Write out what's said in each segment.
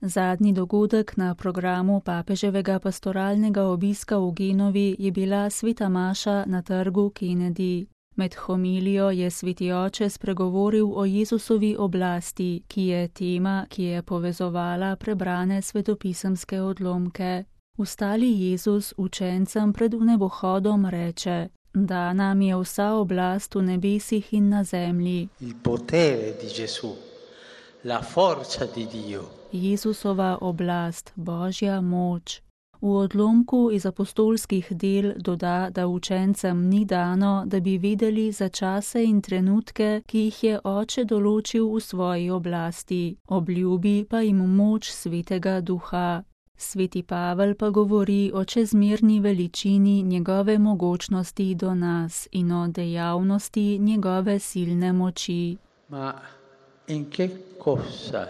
Zadnji dogodek na programu papeževega pastoralnega obiska v Genovi je bila sveta maša na trgu Kennedy. Med homilijo je sveti oče spregovoril o Jezusovi oblasti, ki je tema, ki je povezovala prebrane svetopisemske odlomke. Ustali Jezus učencem pred vnebohodom reče: Da nam je vsa oblast v nebesih in na zemlji. Il potere di Gesù, la forza di Dio. Jezusova oblast, Božja moč. V odlomku iz apostolskih del doda, da učencem ni dano, da bi vedeli za čase in trenutke, ki jih je oče določil v svoji oblasti, obljubi pa jim moč svetega duha. Sveti Pavel pa govori o čezmerni veličini njegove mogočnosti do nas in o dejavnosti njegove silne moči. Ma in che cosa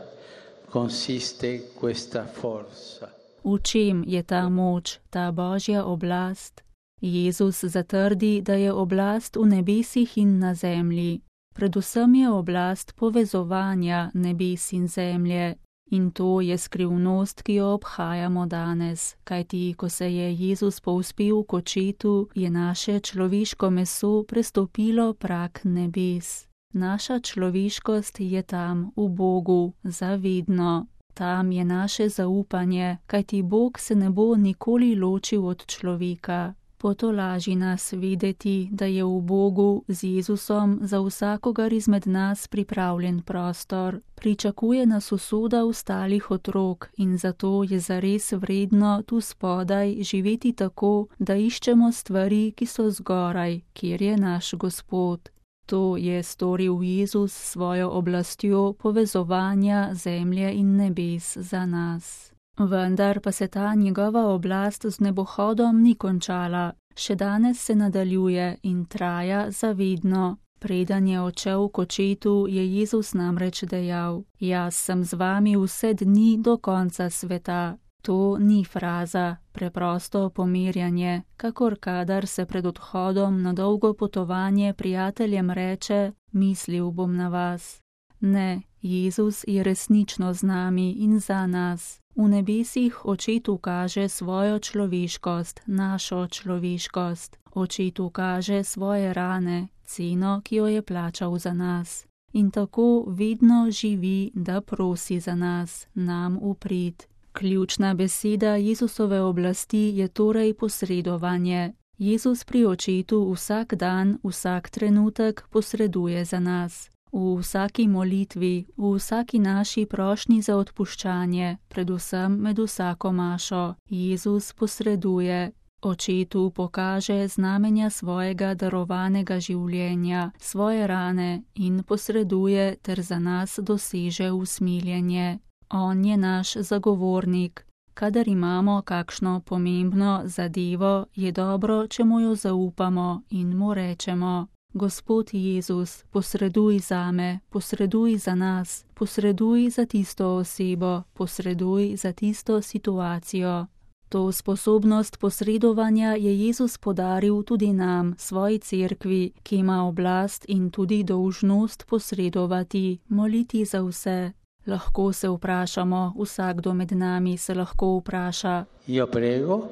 consiste questa forza? V čem je ta moč, ta Božja oblast? Jezus zatrdi, da je oblast v nebesih in na zemlji. Predvsem je oblast povezovanja nebes in zemlje. In to je skrivnost, ki jo obhajamo danes, kajti ko se je Jezus povzpel k očetu, je naše človeško meso prestopilo prag nebes. Naša človeškost je tam v Bogu, zavedno. Tam je naše zaupanje, kajti Bog se ne bo nikoli ločil od človeka. Potolaži nas vedeti, da je v Bogu z Jezusom za vsakogar izmed nas pripravljen prostor. Pričakuje nas usoda ostalih otrok in zato je zares vredno tu spodaj živeti tako, da iščemo stvari, ki so zgoraj, kjer je naš Gospod. To je storil Jezus s svojo oblastjo povezovanja zemlje in nebes za nas. Vendar pa se ta njegova oblast z nebohodom ni končala. Še danes se nadaljuje in traja zavedno. Preden je odšel k očetu, je Jezus namreč dejal: Jaz sem z vami vse dni do konca sveta. To ni fraza, preprosto pomirjanje, kakor kadar se pred odhodom na dolgo potovanje prijateljem reče: Mislil bom na vas. Ne, Jezus je resnično z nami in za nas. V nebesih očetu kaže svojo človeškost, našo človeškost. Očetu kaže svoje rane, ceno, ki jo je plačal za nas. In tako vedno živi, da prosi za nas, nam v prid. Ključna beseda Jezusove oblasti je torej posredovanje. Jezus pri očetu vsak dan, vsak trenutek posreduje za nas. V vsaki molitvi, v vsaki naši prošnji za odpuščanje, predvsem med vsako mašo, Jezus posreduje. Očetu pokaže znamenja svojega darovanega življenja, svoje rane in posreduje ter za nas doseže usmiljenje. On je naš zagovornik. Kadar imamo kakšno pomembno zadevo, je dobro, če mu jo zaupamo in mu rečemo: Gospod Jezus, posreduj zame, posreduj za nas, posreduj za tisto osebo, posreduj za tisto situacijo. To sposobnost posredovanja je Jezus podaril tudi nam, svoji cerkvi, ki ima oblast in tudi dolžnost posredovati, moliti za vse. Lahko se vprašamo, vsakdo med nami se lahko vpraša: Io prego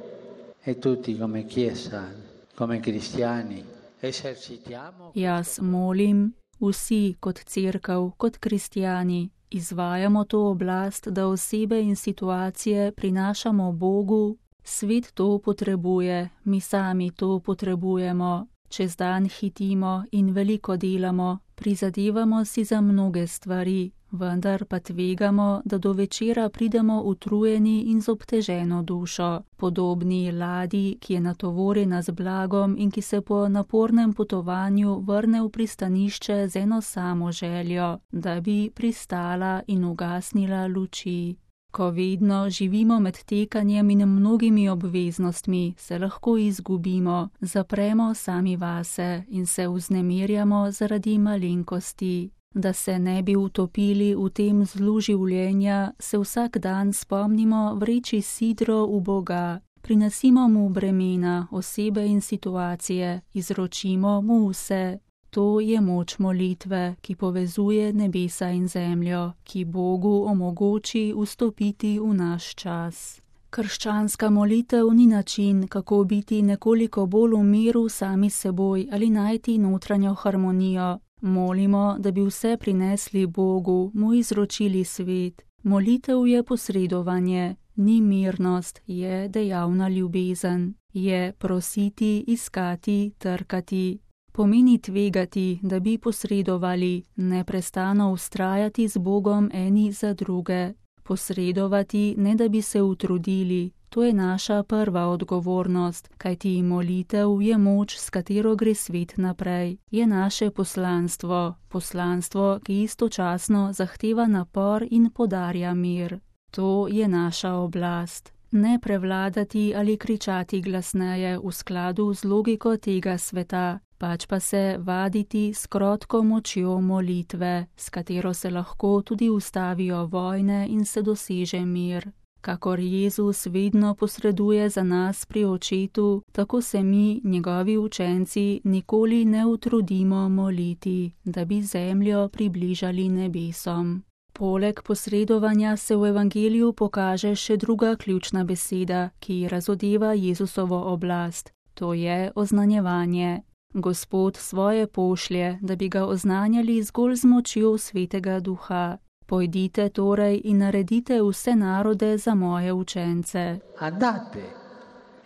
e tutti come chiesa, come cristiani. Jaz molim, vsi kot cerkev, kot kristjani, izvajamo to oblast, da osebe in situacije prinašamo Bogu. Svet to potrebuje, mi sami to potrebujemo. Čez dan hitimo in veliko delamo, prizadevamo si za mnoge stvari, vendar pa tvegamo, da do večera pridemo utrujeni in z obteženo dušo, podobni ladji, ki je natovorjena z blagom in ki se po napornem potovanju vrne v pristanišče z eno samo željo, da bi pristala in ugasnila luči. Ko vedno živimo med tekanjem in mnogimi obveznostmi, se lahko izgubimo, zapremo sami vase in se vznemirjamo zaradi malenkosti. Da se ne bi utopili v tem zlu življenja, se vsak dan spomnimo vreči sidro v Boga, prinesimo mu bremena, osebe in situacije, izročimo mu vse. To je moč molitve, ki povezuje nebesa in zemljo, ki Bogu omogoči vstopiti v naš čas. Krščanska molitev ni način, kako biti nekoliko bolj v miru sami seboj ali najti notranjo harmonijo. Molimo, da bi vse prinesli Bogu, mu izročili svet. Molitev je posredovanje, ni mirnost, je dejavna ljubezen, je prositi, iskati, trkati. Pomeni tvegati, da bi posredovali, neprestano vztrajati z Bogom eni za druge. Posredovati, ne da bi se utrudili, to je naša prva odgovornost, kajti molitev je moč, s katero gre svet naprej. Je naše poslanstvo, ki istočasno zahteva napor in podarja mir. To je naša oblast. Ne prevladati ali kričati glasneje v skladu z logiko tega sveta, pač pa se vaditi s krotko močjo molitve, s katero se lahko tudi ustavijo vojne in se doseže mir. Kakor Jezus vedno posreduje za nas pri Očetu, tako se mi, njegovi učenci, nikoli ne utrudimo moliti, da bi zemljo približali nebesom. Poleg posredovanja se v evangeliju pokaže še druga ključna beseda, ki razodeva Jezusovo oblast, to je oznanjevanje. Gospod svoje pošlje, da bi ga oznanjali zgolj z močjo Svetega Duha. Pojdite torej in naredite vse narode za moje učence. Andate.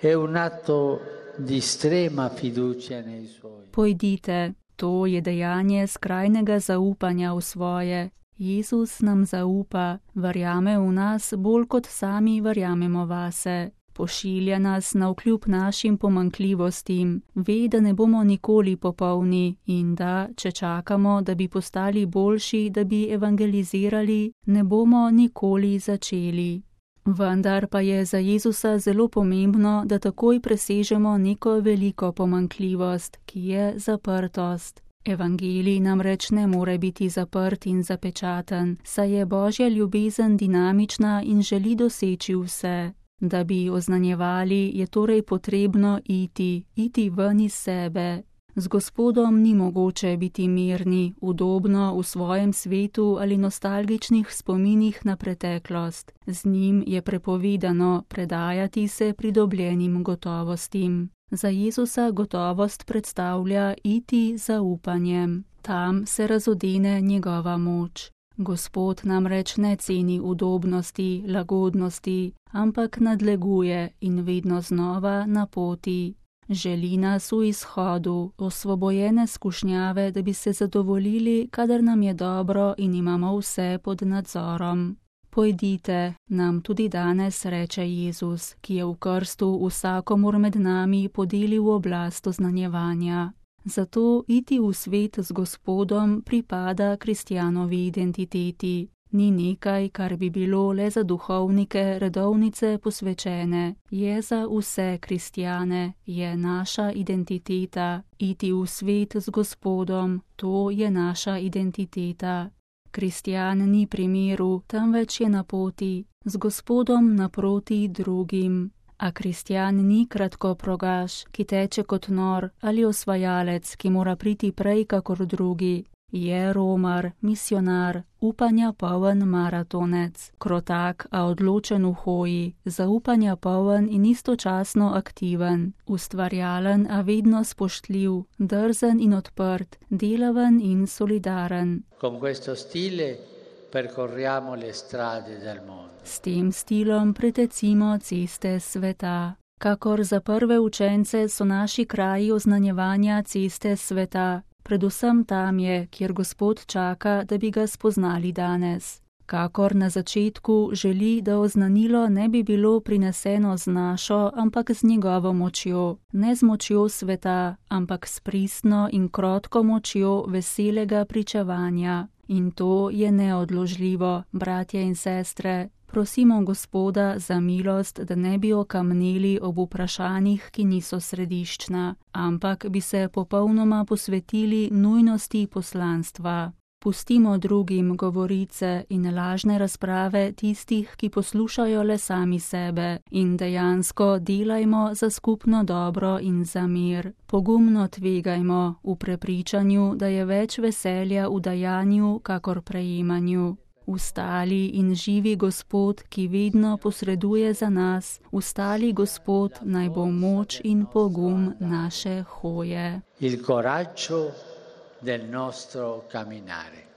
È un atto di estrema fiducia nei suoi. Pojdite, to je dejanje skrajnega zaupanja v svoje. Jezus nam zaupa, verjame v nas bolj kot sami verjamemo vase. Pošilja nas navkljub našim pomanjkljivostim, ve, da ne bomo nikoli popolni in da, če čakamo, da bi postali boljši, da bi evangelizirali, ne bomo nikoli začeli. Vendar pa je za Jezusa zelo pomembno, da takoj presežemo neko veliko pomanjkljivost, ki je zaprtost. Evangelij namreč ne more biti zaprt in zapečaten, saj je Božja ljubezen dinamična in želi doseči vse. Da bi oznanjevali, je torej potrebno iti ven iz sebe. Z Gospodom ni mogoče biti mirni, udobno v svojem svetu ali nostalgičnih spominih na preteklost. Z njim je prepovedano predajati se pridobljenim gotovostim. Za Jezusa gotovost predstavlja iti zaupanjem. Tam se razodene njegova moč. Gospod namreč ne ceni udobnosti, lagodnosti, ampak nadleguje in vedno znova na poti. Želi nas v izhodu, osvobojene skušnjave, da bi se zadovoljili, kadar nam je dobro in imamo vse pod nadzorom. Pojdite, nam tudi danes reče Jezus, ki je v krstu vsakomur med nami podelil oblast oznanjevanja. Zato iti v svet z Gospodom pripada kristjanovi identiteti. Ni nekaj, kar bi bilo le za duhovnike redovnice posvečene. Je za vse kristjane, je naša identiteta. Iti v svet z Gospodom, to je naša identiteta. Kristjan ni pri miru, temveč je na poti, z Gospodom naproti drugim. A kristjan ni kratkoprogaš, ki teče kot nor, ali osvajalec, ki mora priti prej kakor drugi. Je romar, misionar, upanja poln maratonec, krotak, a odločen v hoji, zaupanja poln in istočasno aktiven, ustvarjalen, a vedno spoštljiv, drzen in odprt, delaven in solidaren. Con questo stile percorriamo le strade del mondo. S tem stilom pretecimo ceste sveta. Kakor za prve učence so naši kraji oznanjevanja ceste sveta, predvsem tam je, kjer Gospod čaka, da bi ga spoznali danes. Kakor na začetku želi, da oznanilo ne bi bilo prineseno z našo, ampak z njegovo močjo, ne z močjo sveta, ampak s pristno in krotko močjo veselega pričevanja. In to je neodložljivo, bratje in sestre. Prosimo Gospoda za milost, da ne bi okamneli ob vprašanjih, ki niso središčna, ampak bi se popolnoma posvetili nujnosti poslanstva. Pustimo drugim govorice in lažne razprave tistih, ki poslušajo le sami sebe, in dejansko delajmo za skupno dobro in za mir. Pogumno tvegajmo v prepričanju, da je več veselja v dajanju, kakor prejemanju. Vstali in živi Gospod, ki vedno posreduje za nas, vstali Gospod, naj bo moč in pogum naše hoje. Il coraggio del nostro camminare.